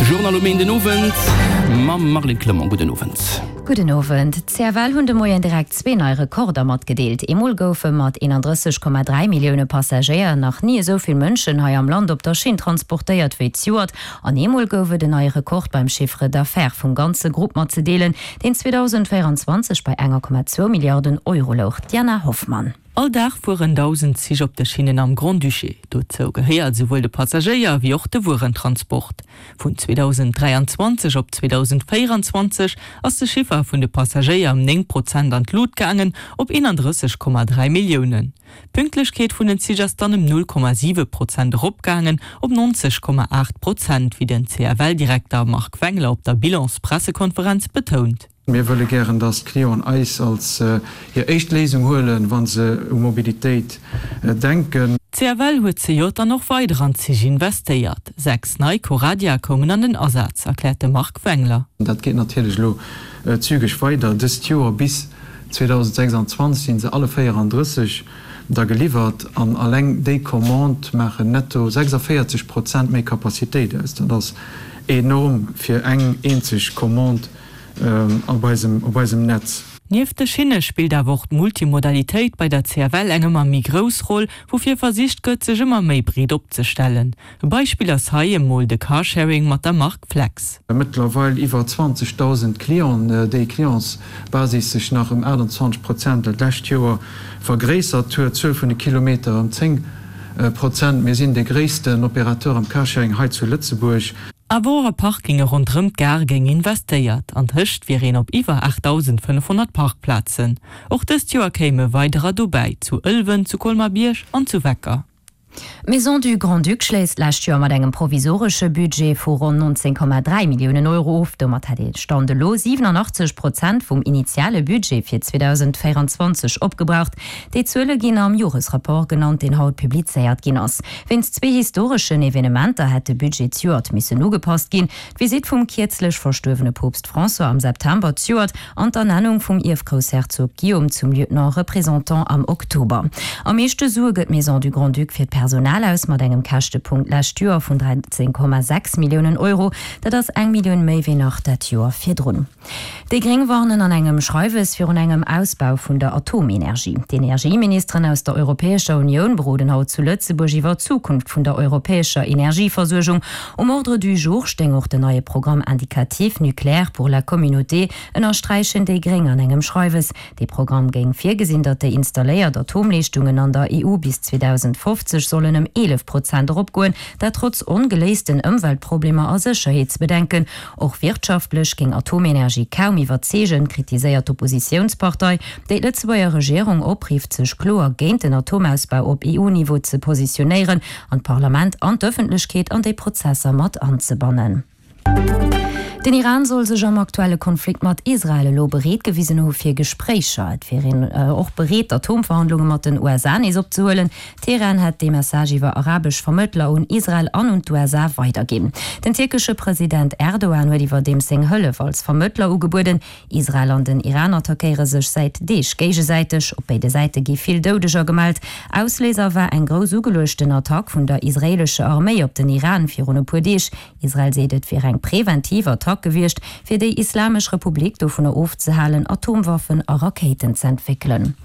Journal um Een den Owend mam Marlene Clement. Gudden Owend. Gudden Owend. D'CFL hunn de Moien direkt zwee nei Rekorder matgedeelt. Eemol goufe mat 31,3 Millioune Passagéier nach ni esou vill Mënschen hei am Land op der Schinn transportéiert wéi zejoert. An eemol gouf et en neie Rekord beim Chiffre d'affaires vum ganze Grupp matzedeelen, deen 2024 bei 1,2 Milliarden Euro louch. D'Diana Hoffmann. All Dag fueren 1.000 Zich op de Schinnen am Grand-Duché. Dozou gehéiert esouwuel de Passagéier wéi och de Wuerentransport. Vun 2023 op 2024 ass de Chiffer vun de Passagéier ëm 9 Prozent an d'Lut gaangen, op 31,3 Milliounen. D'Pünktlechkeet vun den Zich ass dann ëm 0,7 Prozent eropgaangen, op 90,8 Prozent, wéi den CFL-Direkter Marc Wengler op der Bilans-Pressekonferenz betount. Mir wëlle gären, dass d'Clienten eis als hir éischt Léisung huelen, wa se u Mobilitéit denken. D'CFL huet zejoert dann och weider an d'Zich investéiert. 6 nei Coradia koumen an den Asaz, erkläert de Marc Wengler. Dat geet natierlech elo zügeg weider dëst Joer. Bis 2026 sinn se alle 34 da geliwwert an alleng déi Commandë maachen netto 46 Prozent méi Capacitéit aus. Dat ass enorm fir eng eenzeg Commande. Op eisem, op eisem Netz. Nieft de Schinne spillt awer och d'Multimodalitéit bei der CFL eng ëmmer méi grouss Roll, woufir versicht gëtt, sech ëmmer méi breet opzestellen. E Beispill ass hei emol de Carsharing mat der Mark Flex. Mëttlerweil iwwer 20.000 Clienten, déi Clientsbasis sech nach ëm 28 Prozent dat lescht Joer vergréissert huet, d'Zuel vun de Kilometer ëm 10 Prozent. Mir sinn de gréissten Opérateur am Carsharing hei zu Lëtzebuerg. Awer och a Parkinge ronderëm d'Gare géing investéiert. An tëscht wier een op iwwer 8.500 Parkplazen. Och dëst Joer kéime weiderer dobäi, zu Ëlwen, zu Colmar-Bierg an zu Wecker. D'Maison du Grand-Duc schléisst d'lescht Joer mat engem provisoresche Budget vu ronn 19,3 Milliounen Euro of. Domat hätt ee Stand elo 87 Prozent vum initiale Budget fir 2024 opgebraucht. Déi Zuele ginn am Joresrapport genannt, deen haut publizéiert ginn ass. Wéinst zwee historeschen Evenementer hätt de Budget zejoert missen ugepasst ginn, d'Visitt vum kierzlech verstuerwene Poopst François am September zejoert an d'Ernennung vum Ierfgroussherzog Guillaume zum Lieutenant représentant am Oktober. Am meeschte Sue gëtt d'Maison du Grand-Duc fir d'Personal aus, mat engem Käschtepunkt d'lescht Joer vun 13,6 Milliounen Euro. Dat ass eng Millioun méi wéi nach dat Joer virdrun. Déi Gréng warnen an engem Schreiwes virun engem Ausbau vun der Atomenergie. D'Energieministeren aus der Europäescher Unioun beroden haut zu Lëtzebuerg iwwer d'Zukunft vun der europäescher Energieversuergung. Um Ordre du jour stéing och den neie Programme indicatif nucléaire pour la communauté, ënnersträichen déi Gréng an engem Schreiwes. Dee Programm géing virgesinn, datt déi installéiert Atomleeschtungen an der EU bis 2050 sollen ëm 11 Prozent eropgoen, dat trotz ongeléisten Ëmweltproblemer a Sécherheetsbedenken. Och wirtschaftlech géing Atomenergie kaum iwwerzeegen, kritiséiert d'Oppositiounspartei, déi d'Lëtzebuerger Regierung oprifft, sech kloer géint den Atomausbau op EU-Niveau ze positionéieren an d'Parlament an d'Ëffentlechkeet an déi Prozesser mat anzebannen. Den Iran soll sech am aktuelle Konflikt mat Israel elo bereet gewisen hu fir Gespréicher. Et wier een och bereet, d'Atomverhandlunge mat den USA nees opzehuelen. Teheran hätt dee Message iwwer arabesch Vermëttler un Israel an un d'USA weiderginn. Den tierkesche President Erdogan huet iwwerdeems seng Hëllef als Vermëttler ugebueden. Israel an den Iran attackéiere sech säit Deeg géigesäiteg. Op béide Säite gi vill Doudeger gemellt. Ausléiser war eng grouss ugeluechten Attack vun der israeelescher Arméi op den Iran virun e puer Deeg. Israel seet, et wier eng preventiv Attack gewiescht, fir déi Islamesch Republik dovunner ofzehalen, Atomwaffen a Rakéiten z'entwéckelen.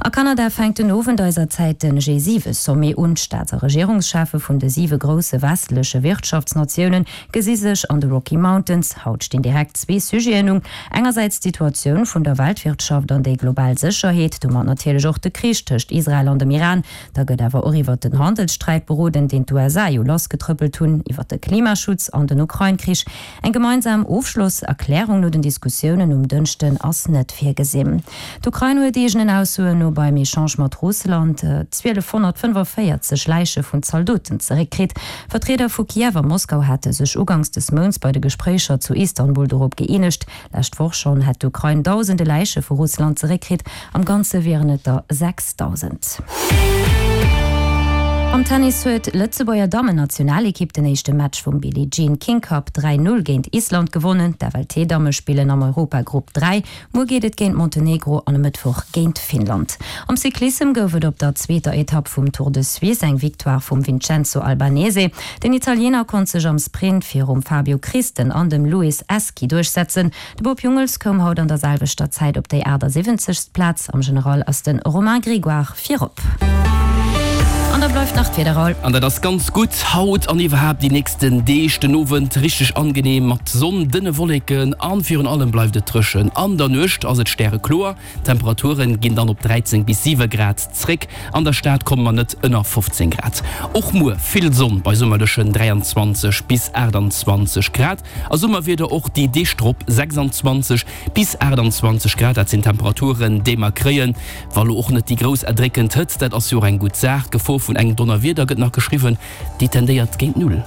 A Kanada fänkt den Owend eiser Zäit den G7-Sommet un. D'Staats a Regierungscheffe vun de siwe grousse westleche Wirtschaftsnatioune gesi sech an de Rocky Mountains. Haut stinn direkt zwee Sujeten un, engersäits d'Situatioun vun der Weltwirtschaft an déi global Sécherheet, domat natierlech och de Krich tëscht Israel an dem Iran, Da gëtt awer och iwwert den Handelssträit beroden, deen d'USA jo lassgetrëppelt hunn, iwwert de Klimaschutz an den Ukrain-Krich. Eng gemeinsam Ofschlosserklärung no den Diskussiounen um Dënschden ass net virgesinn. D'Ukrain huet eegenen Aussoen no beim Echange mat Russland 1.245 Läiche vun Zaldoten zeréckkritt. Vertrieder vu Kiew a Moskau hate sech uganks des Mounts bei de Gespréicher zu Istanbul dorop gëeenegt, Lescht Woch schonn hätt d'Ukrain dausende Läiche vu Russland zeréckkritt, am Ganze wieren et der 6.000. Am Tennis huet d'Lëtzebuerger Dammennationalekipp den éischte Match vum Billie Jean King Cup 3, 0 géint Island gewonnen. D'FLT-Damme spillen am Europagrupp 3. Muer geet et géint Montenegro an e Mëttwoch géint Finnland. Am Cyclissem gouf et op der zweeter Etapp vum Tour de Suisse eng Victoire vum Vincenzo Albanese. Den Italiener konnt sech am Sprint virum Fabio Christen an dem Luis Eschi duerchsetzen. De Bob Jungels koum haut an der selwechter Zäit op déi 78. Plaz. Am General ass de Romain Grégoire virop. An da bleift nach d'Wieder, Raoul. An dat ass ganz gutt haut an iwwerhaapt déi nächsten Deeg. Den Owend richteg angeneem mat Sonn, dënne Wolleken a virun allem bleift et dréchen. An der Nuecht ass et stärekloer. D'Temperature ginn dann op 13 bis 7 Grad zréck. An der Stad komme mer net ënner 15 Grad. Och muer vill Sonn bei summerlechen 23 bis 28 Grad. A Summerwieder och déi Deeg drop, 26 bis 28 Grad, dat sinn d'Temperaturen, déi mer kréien. Wa lo och net déi grouss erdréckend Hëtzt, dat ass jo och eng gutt Saach. D'Gefor vun engem Donnerwieder gëtt nach geschriwwen, déi tendéiert géint Null.